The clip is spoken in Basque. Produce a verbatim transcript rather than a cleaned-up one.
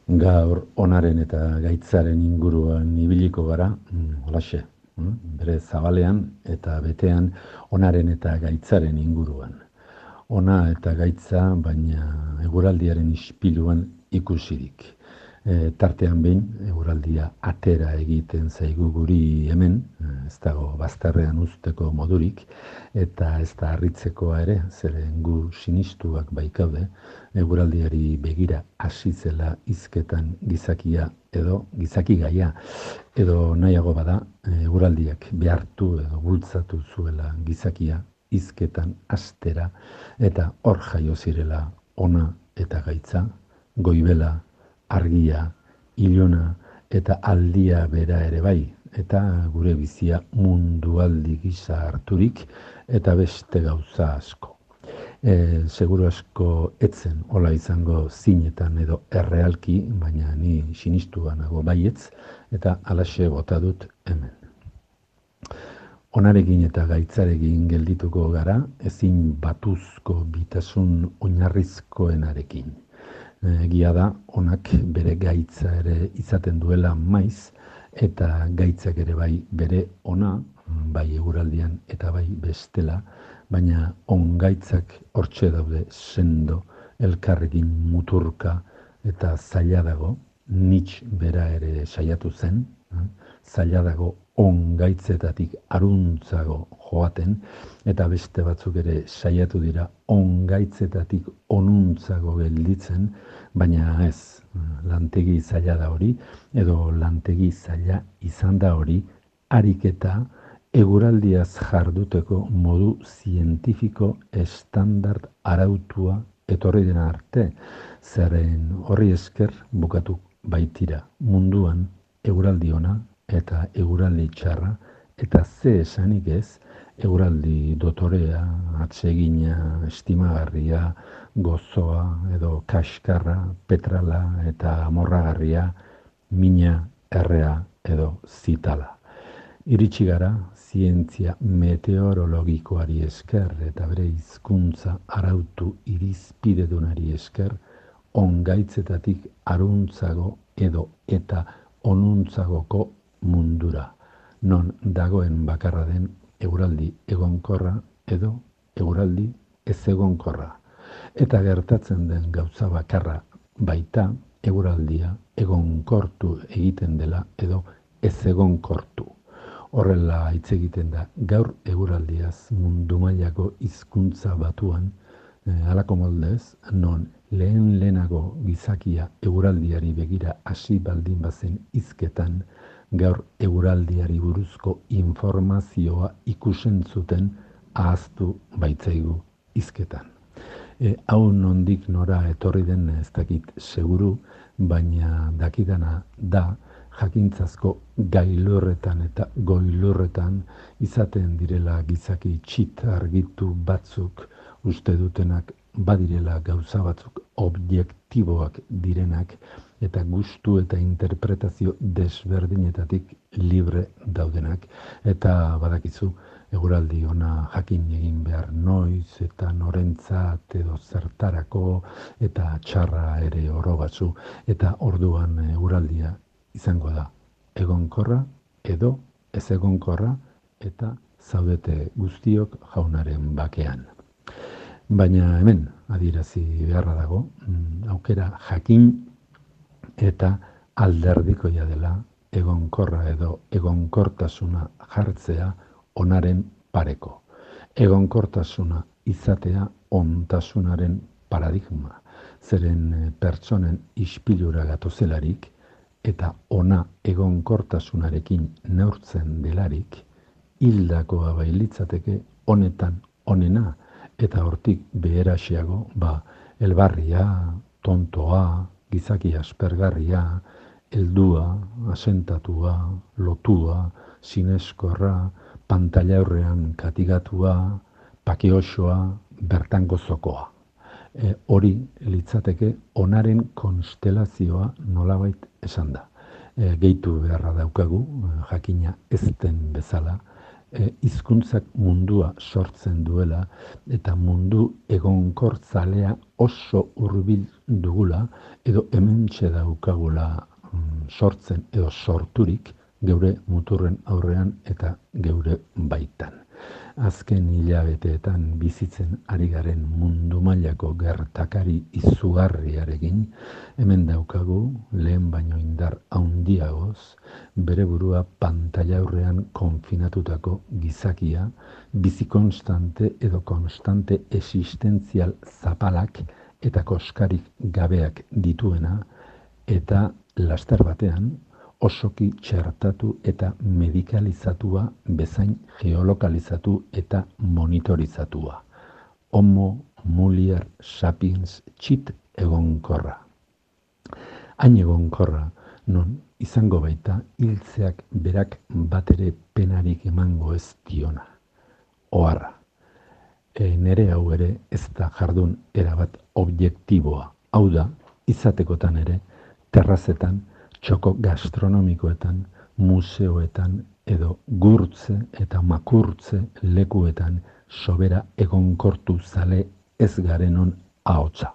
Gaur onaren eta gaitzaren inguruan ibiliko gara, mm, holaxe, mm, bere zabalean eta betean onaren eta gaitzaren inguruan. Ona eta gaitza, baina eguraldiaren ispiluan ikusirik. E, tartean behin, eguraldia atera egiten zaigu guri hemen, ez dago bazterrean uzteko modurik, eta ez da harritzekoa ere, zeren gu sinistuak baikaude, eguraldiari begira hasi zela hizketan gizakia edo gizakigaia, edo nahiago bada eguraldiak behartu edo bultzatu zuela gizakia hizketan hastera, eta hor jaio zirela ona eta gaitza, goibela, argia, ilona eta aldia bera ere bai, eta gure bizia mundualdi gisa harturik eta beste gauza asko. E, seguru asko etzen hola izango zinetan edo errealki, baina ni sinistua nago baietz, eta halaxe bota dut hemen. Onarekin eta gaitzarekin geldituko gara, ezin batuzko bitasun oinarrizkoenarekin. Egia da, onak bere gaitza ere izaten duela maiz, eta gaitzak ere bai bere ona, bai eguraldian eta bai bestela, baina on gaitzak hortxe daude sendo, elkarrekin muturka eta zaila dago, nitx bera ere saiatu zen, zaila dago on gaitzetatik aruntzago joaten, eta beste batzuk ere saiatu dira on gaitzetatik onuntzago gelditzen, baina ez, lantegi zaila da hori, edo lantegi zaila izan da hori, ariketa eguraldiaz jarduteko modu zientifiko estandard arautua etorri dena arte, zeren horri esker bukatu baitira munduan eguraldi ona eta eguraldi txarra, eta ze esanik ez, eguraldi dotorea, atsegina, estimagarria, gozoa edo kaskarra, petrala eta amorragarria, mina, errea edo zitala. Iritsi gara, zientzia meteorologikoari esker eta bere hizkuntza arautu irizpidedunari esker, ongaitzetatik aruntzago edo eta onuntzagoko mundura, non dagoen bakarra den eguraldi egonkorra edo eguraldi ez egonkorra. Eta gertatzen den gauza bakarra baita eguraldia egonkortu egiten dela edo ez egonkortu. Horrela hitz egiten da gaur eguraldiaz mundu mailako hizkuntza batuan, eh, halako moldez, non lehen lehenago gizakia eguraldiari begira hasi baldin bazen hizketan, gaur eguraldiari buruzko informazioa ikusen zuten ahaztu baitzaigu hizketan. E, hau nondik nora etorri den ez dakit seguru, baina dakidana da jakintzazko gailurretan eta goilurretan izaten direla gizaki txit argitu batzuk uste dutenak badirela gauza batzuk objektiboak direnak eta gustu eta interpretazio desberdinetatik libre daudenak, eta badakizu eguraldi ona jakin egin behar noiz eta norentzat edo zertarako eta txarra ere oro batzu, eta orduan eguraldia izango da egonkorra edo ez egonkorra, eta zaudete guztiok jaunaren bakean. Baina hemen adierazi beharra dago, aukera jakin eta alderdikoia dela egonkorra edo egonkortasuna jartzea onaren pareko. Egonkortasuna izatea ontasunaren paradigma, zeren pertsonen ispilura gatozelarik eta ona egonkortasunarekin neurtzen delarik, hildakoa bailitzateke honetan onena, eta hortik beheraxeago, ba, elbarria, tontoa, gizaki aspergarria, heldua, asentatua, lotua, sineskorra, pantallaurrean katigatua, pakeosoa, bertan gozokoa. E, hori litzateke onaren konstelazioa nolabait esan da. E, gehitu beharra daukagu, jakina ez den bezala, e, hizkuntzak mundua sortzen duela eta mundu egonkortzalea oso hurbil dugula edo hementxe daukagula mm, sortzen edo sorturik geure muturren aurrean eta geure baitan. Azken hilabeteetan bizitzen ari garen mundu mailako gertakari izugarriarekin, hemen daukagu lehen baino indar handiagoz, bere burua pantaila aurrean konfinatutako gizakia, bizi konstante edo konstante existentzial zapalak eta koskarik gabeak dituena, eta laster batean, osoki txertatu eta medikalizatua bezain geolokalizatu eta monitorizatua. Homo mulier sapiens txit egonkorra. Hain egonkorra, non izango baita hiltzeak berak batere penarik emango ez diona. Oharra, e, nere hau ere ez da jardun erabat objektiboa. Hau da, izatekotan ere, terrazetan, txoko gastronomikoetan, museoetan edo gurtze eta makurtze lekuetan sobera egonkortu zale ez garenon ahotsa.